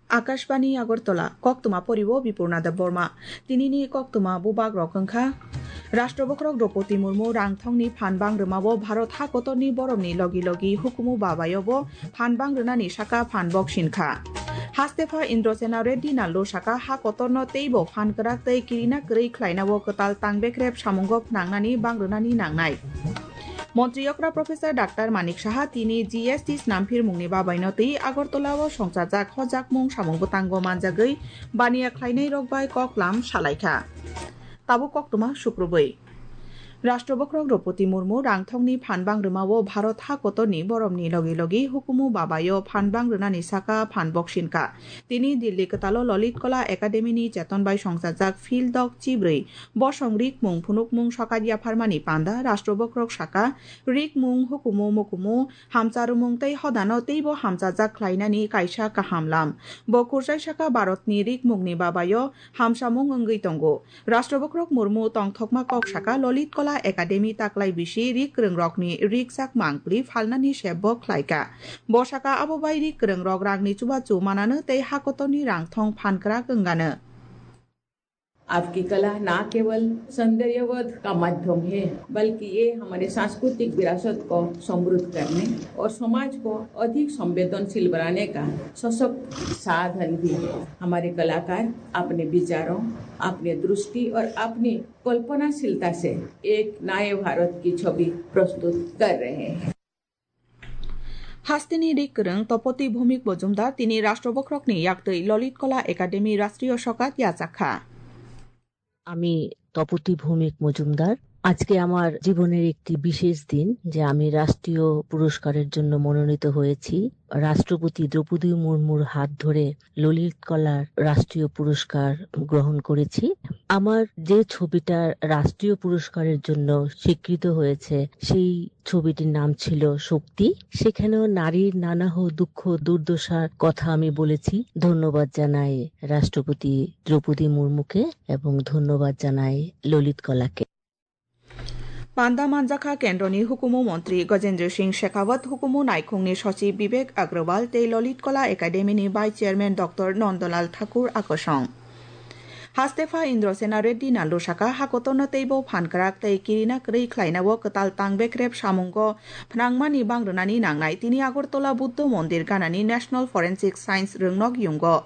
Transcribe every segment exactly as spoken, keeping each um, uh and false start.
Akashbani Agartala, koktwma poribo Bipurna Debbarma. Tinini koktwma bubak rok wngkha. Rashtrabokhrok Droupadi Murmu rangthongni phan bang rwmao Bharat ha kotorni boromni logi logi hukumu babayobo phan bang rwnani saka phan boksin kha. Hastepha Indrasena Reddy Nallu saka ha kotorno teibo phan kwrak tei kirina kwrwi khlainao kwtal tangbekrep samungo phnangnani bang rwnani nangnai. Montri okra Professor Doctor Manik Saha tini G S T snamphirmungni babaino twi Agartala o songchajak hojakmung samung bwtango manjagwi baniya khlainai rok bai koklam salaikha. Tabuk koktwma sukrubwi. Rashtrabokhrok Droupadi Murmu rangthongni phan bang rwmao Bharat ha kotorni boromni logi logi hukumu babayo phan bang rwnani saka phan boksin kha. Tini Delhi kwtalo Lalit Kala Academy ni cheton bai songchajak Phil Dok chibrwi bosong rikmung phunukmung sokat yapharmani panda Rashtrabokhrok saka rikmung hukumu mukumu hamcharumung tei hodano teibo hamchajak khlainani kaisa kaham lam. Bo kursai saka Bharatni rikmungni babayo hamsamung wngwi tongo. Rashtrabokhrok Murmu tongthokma kok saka Lalit Kala Academy taklai bisi rik kwrwngrokni rikchak mangpli phalnani sebbo khlaikha. Bo saka abo bai rik kwrwngrok rangni chubachu manano tei hakotorni rangthong phankrak wngano. आपकी कला ना केवल सौंदर्यवध का माध्यम है, बल्कि ये हमारे सांस्कृतिक विरासत को समृद्ध करने और समाज को अधिक संवेदनशील बनाने का सशक्त साधन भी है। हमारे कलाकार अपने विचारों, अपने दृष्टि और अपनी कल्पनाशीलता से एक नए भारत की छवि प्रस्तुत कर रहे हैं। Hasteni rik kwrwng Topoti Bhumik Mojumdar tini Rashtrabokhrokni yaktwi Lalit Kala Academy Rashtriyo Sokat yachak kha. আমি তপতি ভৌমিক মজুমদার। আজকে আমার জীবনের একটি বিশেষ দিন যে আমি রাষ্ট্রীয় পুরস্কারের জন্য মনোনীত হয়েছি। রাষ্ট্রপতি দ্রৌপদী মুর্মুর হাত ধরে ললিত কলার রাষ্ট্রীয় পুরস্কার গ্রহণ করেছি। আমার যে ছবিটা রাষ্ট্রীয় পুরস্কারের জন্য স্বীকৃত হয়েছে, সেই ছবিটির নাম ছিল শক্তি। সেখানেও নারীর নানাহ দুঃখ দুর্দশার কথা আমি বলেছি। ধন্যবাদ জানাই রাষ্ট্রপতি দ্রৌপদী মুর্মুকে এবং ধন্যবাদ জানাই ললিত কলাকে। Panda manjakha Kendroni Hukumu Montri Gajendra Singh Shekhawat, Hukumu Naikhungni Sochib Bibek Agrawal tei Lalit Kala Academy ni Vice Chairman Doctor Nandalal Thakur akosong. Hastepha Indrasena Reddy Nallu saka, hakotorno teibo phankrak tei kirina kwrwi khlainao kwtal tangbekrep samungo phnangmani bang rwnani nangnai. Tini Agartala Buddha Mondir ganani National Forensic Science rwngnok yungo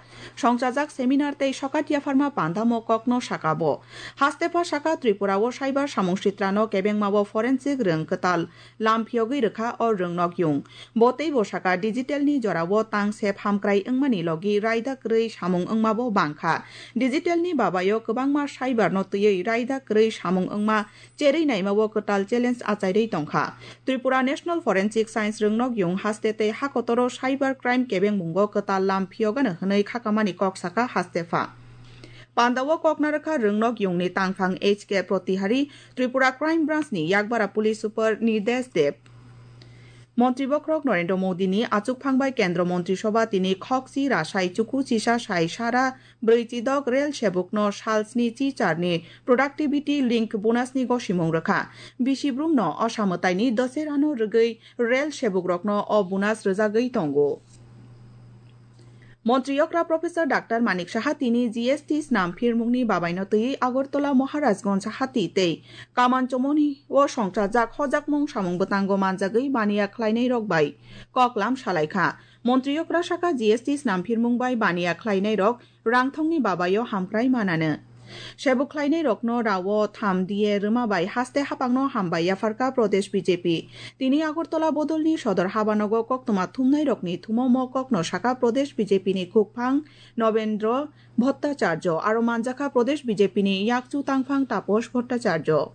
songchajak seminar tei sokat yapharma pandamo kokno saka bo. Hastepha saka Tripura o cyber samung sitrano kebengmao forensic rwng kwtal lam phiyogwi rwkha o rwngnok yung. Bo teibo saka digital ni jorao tang sep hamkrai wngmani logi raida kwrwi samung wngmabo bangkha. Digital ni babayo kwbangma cyber no twiwi raida kwrwi samung wngma cherwi naimao kwtal challenge achairwi tongkha. Tripura National Forensic Science rwngnok yung haste tei hakotoro cyber crime kebengmungo kwtal lam phiyogano hwnwi khakamani kok saka Hastepha. Pandao kokna rwkha rwngnok yungni tangphang H K Protihari, Tripura Crime Branch ni Yakbara Police Super Nirdesh Deb. Montri bokhorok Narendra Modi ni achukphang bai Kendra Montri Sobha tini khokchi rasai chuku chisa sai sara brwi chidok rel sebukno sal sni chi charni productivity link bonus ni gosimung rwkha. Bisi brumno osa mwtaini Dussehra no rwgwi rel sebukrokno o bonus rwjagwi tongo. Montri okra Professor Doctor Manik Saha tini G S T snam phirmungni babaino twiwi Agartala Maharajganj hati tei Kaman Chomoni o songchajak hojakmung samung bwtango manjagwi baniya khlainai rok bai koklam salaikha. Montri okra saka G S T snam phirmung bai baniya khlainai rok rangthongni babayo hamkrai manano. Sebuk khlainai rokno rao tham diye rwma bai haste hapangno hambai yapharkha Pradesh B J P. Tini Agartala bodolni sodor habanogo koktwma thumnai rokni thumo mo kokno saka Pradesh B J P ni khukphang Nobendra Bhattacharya aro manjakha Pradesh B J P ni yakchu tangphang Taposh Bhattacharya.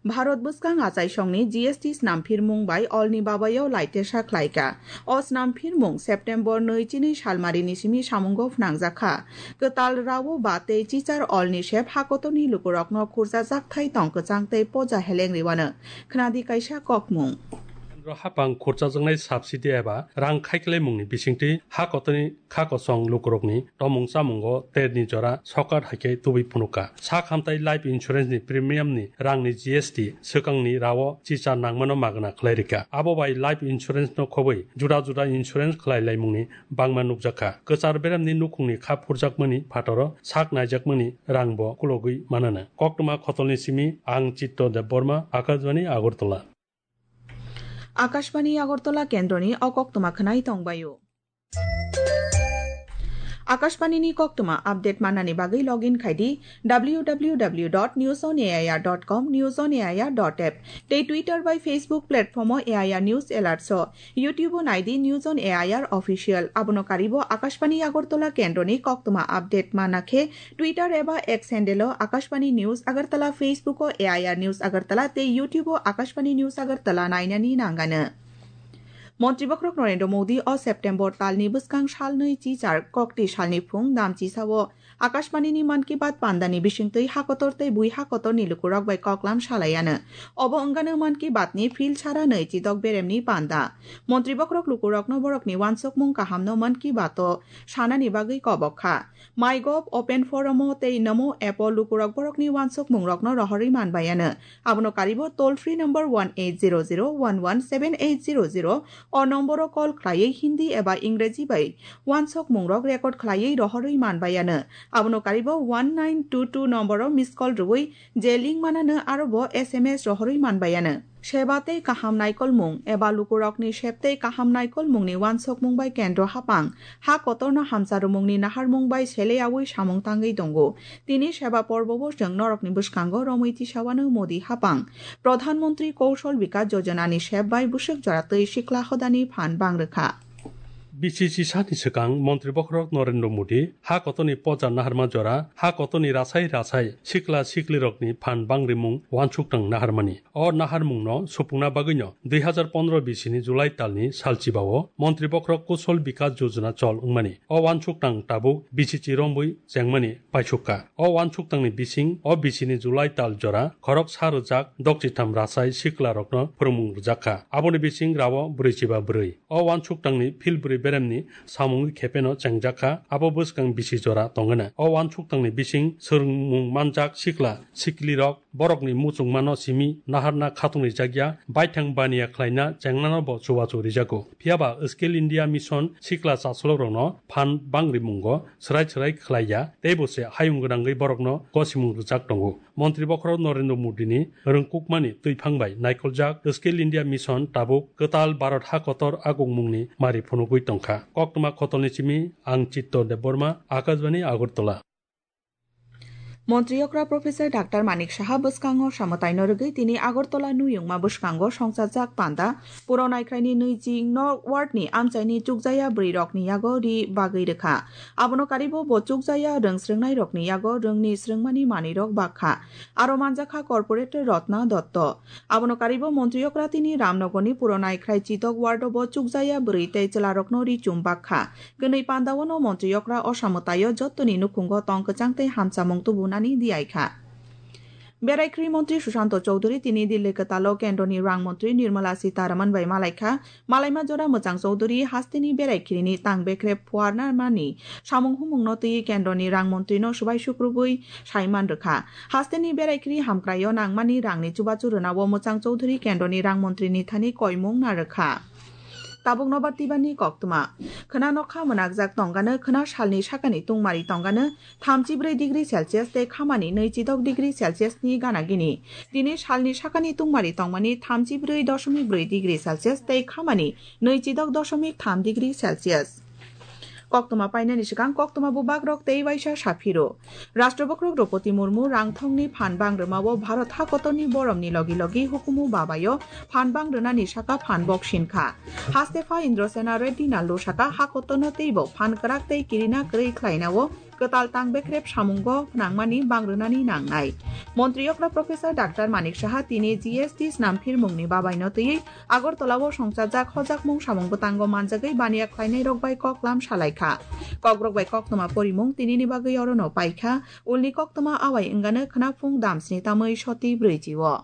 Bharat bwskang achaisongni G S T snamphirmung bai olni babayo laitesa khlaikha. O snamphirmung September nwi chini salmarini simi samungo phnangjakha. Kwtal rao ba tei chichar olni sep hakotorni lukurokno khurjajak thai tong kwchang tei poja heleng riwano. Khnadi kaisa kokmung. Hapang khurchajaknai subsidy eba rang khaiklaimungni bisingtwi ha kotorni kha kosong lukurokni tomung chamungo terni jora sokat haikhe tubui phunukha. Sak hamtai life insurance ni premium ni rangni G S T swkangni rao chicha nangmano magna khlai rikha. Abo bai life insurance no khobwi juda juda insurance khlai laimungni bangma nukjakha. Kwchar beremni nukhungni kha phurjakmani phataro sak naijakmani rangbo kulogwi manana. Koktwma khotolni simi ang Chitto Debbarma, Akashbani Agartala. Akashbani Agartala kendroni o koktwma khwnai tongbaio. Akashbani ni koktwma update manani bagwi login khai di W W W dot news on A I R dot com, news on A I R dot app, tei Twitter bai Facebook platform o A I R News Alert so. YouTube o nai di News on A I R Official. Abono karibo Akashbani Agartala kendroni koktwma update mana khe Twitter eba X handle o Akashbani News Agartala, Facebook o A I R News Agartala tei YouTube o Akashbani News Agartala nainani nangano. Montri Bokhorok Narendra Modi o September talni bwskang salnwi chichar kokti salni phung damchisa o Akashbani ni Mann Ki Baat pandani bisingtwi hakotor tei bui hakotor ni lukurok bai koklam salaiano. Obo wngano Mann Ki Baat ni phil sara nwi chidok beremni panda. Montri Bokhorok lukurokno borokni wansukmung kahamno Mann Ki Baat o sanani bagwi kobok kha. MyGov, Open Forum o tei Namo app o lukurok borokni wansukmungrokno rohorwi manbaiano. Abono karibo toll free number one eight zero zero one one seven eight zero zero o nomboro call khlaiwi Hindi eba Ingreji bai wansukmungrok record khlaiwi rohorwi manbaiano. Abono karibo one nine two two nomboro miss call rwui je link manano arobo S M S rohorwi manbaiano. Seba tei kaham naikolmung eba lukurokni sep tei kaham naikolmungni wansukmung bai kendro hapang ha kotorno hamcharumungni naharmung bai seleyaui samung tangwi tongo. Tini seba porbo bo chwng norokni bwskango romwi tisawano Modi hapang Pradhan Mantri Kaushal Vikas Yojana ni sep bai bwswk jora twi sikla hodani phan bang rwkha. Bisi chisani swkang Montri Bokhorok Narendra Modi ha kotorni poja naharma jora ha kotorni rasai rasai sikla siklirokni phan bangrimung wansukthang naharmani. O naharmungno supungna bagwino dui hazar pondro bisini July talni salchibao Montri Bokhorok Kushal Vikas Yojana chol wngmani. O wansukthang tabuk bisi chirombwi chengmani paisukha. O wansukthangni bising o bisini July tal jora khorok sa rwjak dokchitham rasai siklarokno phwrwngmung rwjakha. Aboni bising rao brwichiba bwrwi. O wansukthangni philbwrwi beremni samungwi khepeno chengjakha, abo bwskang bisi jora tongwna. O wansukthangni bising swrwngmung manjak sikla siklirok borokni muchungmano simi naharna khatungrijakya, baithang baniya khlaina chengnanobo chubachu rijago. Phiyaba Skill India Mission sikla chasolokrokno phan bangrimungo swrai swrai khlaiya, teibo se hayung gwnangwi borokno gosimung rwjak tongo. Montri Bokhorok Narendra Modini rwngkukmani twiphang bai naikoljak Skill India Mission tabuk kwtal Bharat ha kotor agungmungni mari phunugwi tongkha. Koktwma khotolni simi ang Chitto Debbarma, Akashbani Agartala. Montri okra Professor Doctor Manik Saha bwskango samwtaino rwgwi tini Agartala nuyungma bwskango songchajak panda Puro Naikhraini nui ching no ward ni amchaini chukjaya bwrwi rokni yago ri bagwi rwkha. Abono karibo bo chukjaya rwng srwngnai rokni yago rwngni srwngmani manwi rok bakha. Aro manjakha Corporator Rotna Dotto. Abono karibo Montri okra tini Ramnogorni Puro Naikhrai Chitok ward o bo chukjaya bwrwi tei chwla rokno ri chum bakha. Kwnwi pandao no Montri okra o samwtaio jottoni nukhungo tong kwchang tei hamchamung tubunani diyaikha. Beraikhri Montri Sushanto Chowdhury tini Delhi kwtalo Kendroni Rang Montri Nirmala Sitharaman bai malaikha. Malaima jora Mwchang Chowdhury hasteni beraikhrini tang bekrep phuarna mani samung humungno twiwi Kendroni Rang Montrino swbai sukrubwi saiman rwkha. Hasteni beraikhri hamkraio nangmani rangni chubachu rwnao Mwchang Chowdhury Kendroni Rang Montrini thani koimung narwkha. Tabuk nobar tibani koktwma. Khwna nokha mwnakjak tongano khwna salni sakani tungmari tongano thamchi bwrwi degree Celsius tei khamani nui chidok degree Celsius ni gana gini. Tini salni sakani tungmari tongmani thamchi bwrwi doshomik bwrwi degree Celsius tei khamani nui chidok doshomik tham degree Celsius. Koktwma painani swkang koktwma bubagrok tei waisa saphiro. Rashtrabokhrok Droupadi Murmu rangthongni phan bang rwmao Bharat hakotorni boromni logi logi hukumu babaio phan bang rwnani saka phan bok sinkha. Hastepha Indrasena Reddy Nallu saka hakotorno teibo phan kwrak tei kirina kwrwi khlainao kwtal tang bekrep samungo nangmani bang rwnani nangnai. Montri okra Professor Doctor Manik Saha tini G S T snamphirmungni babaino twiwi Agartala o songchajak hojakmung samung bwtango manjagwi baniya khlainai rok bai koklam salaikha. Kokrok bai koktwma porimung tinini bagwi orono paikha, ulni koktwma awai wngano khwnaphung damsni tamwi soti brwichi o.